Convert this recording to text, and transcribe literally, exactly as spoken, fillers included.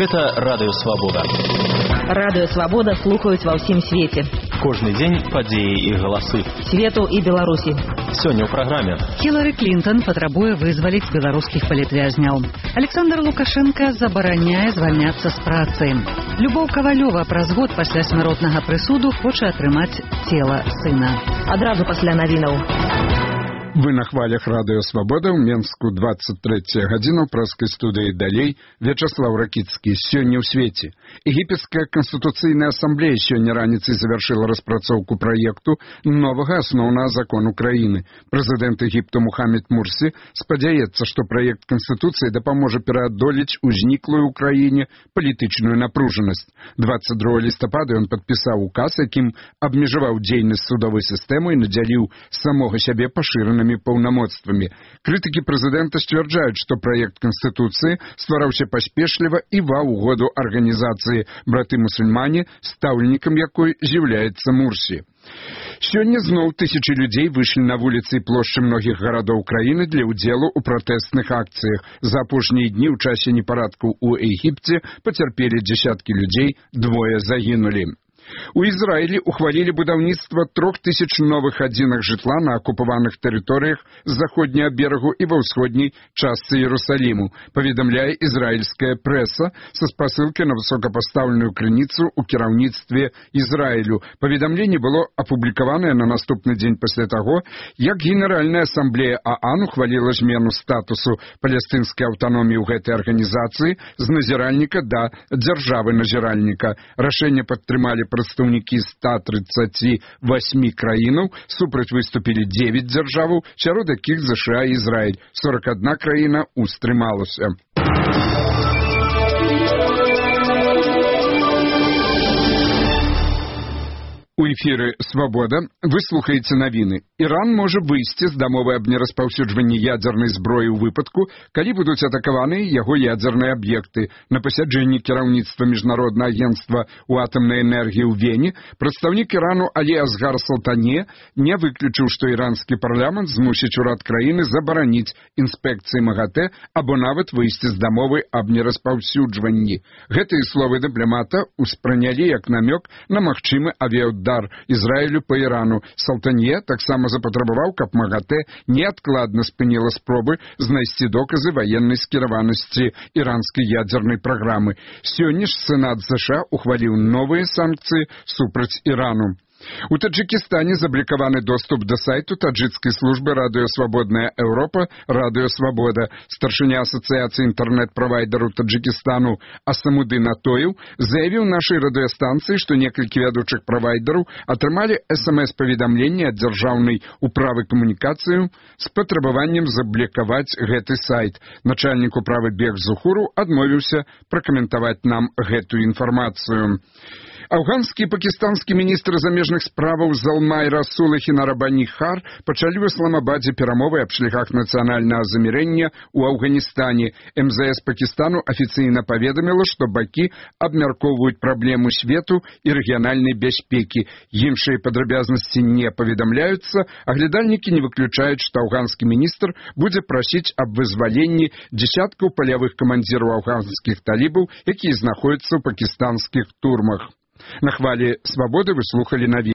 Гэта Радыё Свабода. Радыё Свабода слухаюць ва ўсім свеце. Кожны дзень падзеі і галасы. Свету і Беларусі. Сёння ў праграме. Хілары Клінтон патрабуе вызваліць беларускіх палітвязняў. Александр Лукашенко забараняе звальняцца з працы. Любоў Кавалёва праз год пасля смяротнага прысуду хоча атрымаць цела сына. Адразу пасля навінаў. Вы на хвалях Радыё Свабода, ў Менску двадцать третья гадзіна, ў праскай студыі далей Вячаслав Ракіцкі. Сёння ў свеце. Егіпецкая канстытуцыйная асамблея сёння раніцай завяршыла распрацоўку праекту новага асноўнага закону краіны. Прэзідэнт Егіпту Мухаммед Мурсі спадзяецца, што праект канстытуцыі дапаможа пераадолець узніклую ў краіне палітычную напружанасць. двадцать другого лістапада ён падпісаў указ, якім абмежаваў дзейнасць судовай сістэмы і надзяліў самога сябе пашыранымі паўнамоцтвамі. Крытыкі прэзідэнта сцвярджаюць, што праект канстытуцыі ствараўся паспешліва і ва ўгоду арганізацыі браты-мусульмане, стаўленнікам якой з'яўляецца Мурсі. Сёння зноў тысячы людзей выйшлі на вуліцы і плошчы многіх гарадоў краіны для ўдзелу ў пратэстных акцыях. За апошнія дні ў часе непарадкаў у Егіпце пацярпелі дзясяткі людзей, двое загінулі. У Ізраілі ухвалілі будаўніцтва трох тысяч новых адзінак жытла на акупаваных тэрыторыях з заходняга берагу і ва ўсходняй частцы Іерусаліму, паведамляе ізраільская прэса са спасылкай на высокапастаўленую крыніцу ў кіраўніцтве Ізраілю. Паведамленне было апублікаванае на наступны дзень пасля таго, як Генеральная асамблея ААН ухваліла змену статусу палестынскай аўтаноміі ў гэтай арганізацыі з назіральніка да дзяржавы-назіральніка. Рашэнне падтрымалі прадстаўнікі ста тридцати восьми краінаў, супраць выступілі дзевяць дзяржаваў, сярод якіх ЗША і Ізраіль. сорок одна краіна устрымалася. У эфіры «Свабода» вы слухаеце навіны. Іран можа выйсці з дамовы аб нераспаўсюджванні ядзернай зброі ў выпадку, калі будуць атакаваны яго ядзерныя аб'екты. На пасяджэнні кіраўніцтва Міжнароднага агенцтва ў атамнай энергіі ў Вене прадстаўнік Ірану Алі Асгар Салтане не выключыў, што іранскі парламент змусіць урад краіны забараніць інспекцыі МАГАТЭ або нават выйсці з дамовы аб нераспаўсюджванні. Гэтыя словы дыпламата ўспрынялі як намёк на магчымы авіаудар Ізраілю па Ірану. Салтанье таксама запатрабаваў, каб МАГАТЭ неадкладна спыніла спробы знайсці доказы ваеннай скіраванасці іранскай ядзернай праграмы. Сёння ж Сенат ЗША ухваліў новыя санкцыі супраць Ірану. У Таджикистане заблокированы доступ до сайту таджикской службы «Радио Свободная Европа» «Радио Свобода». Старшыня Ассоциации интернет-провайдеров Таджикистану Асамудин Атоев заявил нашей радиостанции, что некалькі вядучых провайдеров атрымалі эс эм эс-паведамленне ад дзяржаўнай управы камунікацыяў с патрабаваннем заблокаваць гэты сайт. Начальник управы Бег Зухуру адмовіўся пракаментаваць нам гэтую інфармацыю. Афганскі і пакістанскі міністры замежных справаў Залмай Расул і Хінарабані Хар пачалі ў Ісламабадзе перамовы аб шляхах нацыянальнага замірэння ў Афганістане. эм зэ эс Пакістану афіцыйна паведаміла, што бакі абмяркоўваюць праблему свету і рэгіянальнай бяспекі. Іншыя падрабязнасці не паведамляюцца, аглядальнікі не выключаюць, што афганскі міністр будзе прасіць аб вызваленні дзесяткаў палявых камандзіраў афганскіх талібаў, якія знаходзяцца ў пакістанскіх турмах. На хвалі «Свободы» вы слухали навіны.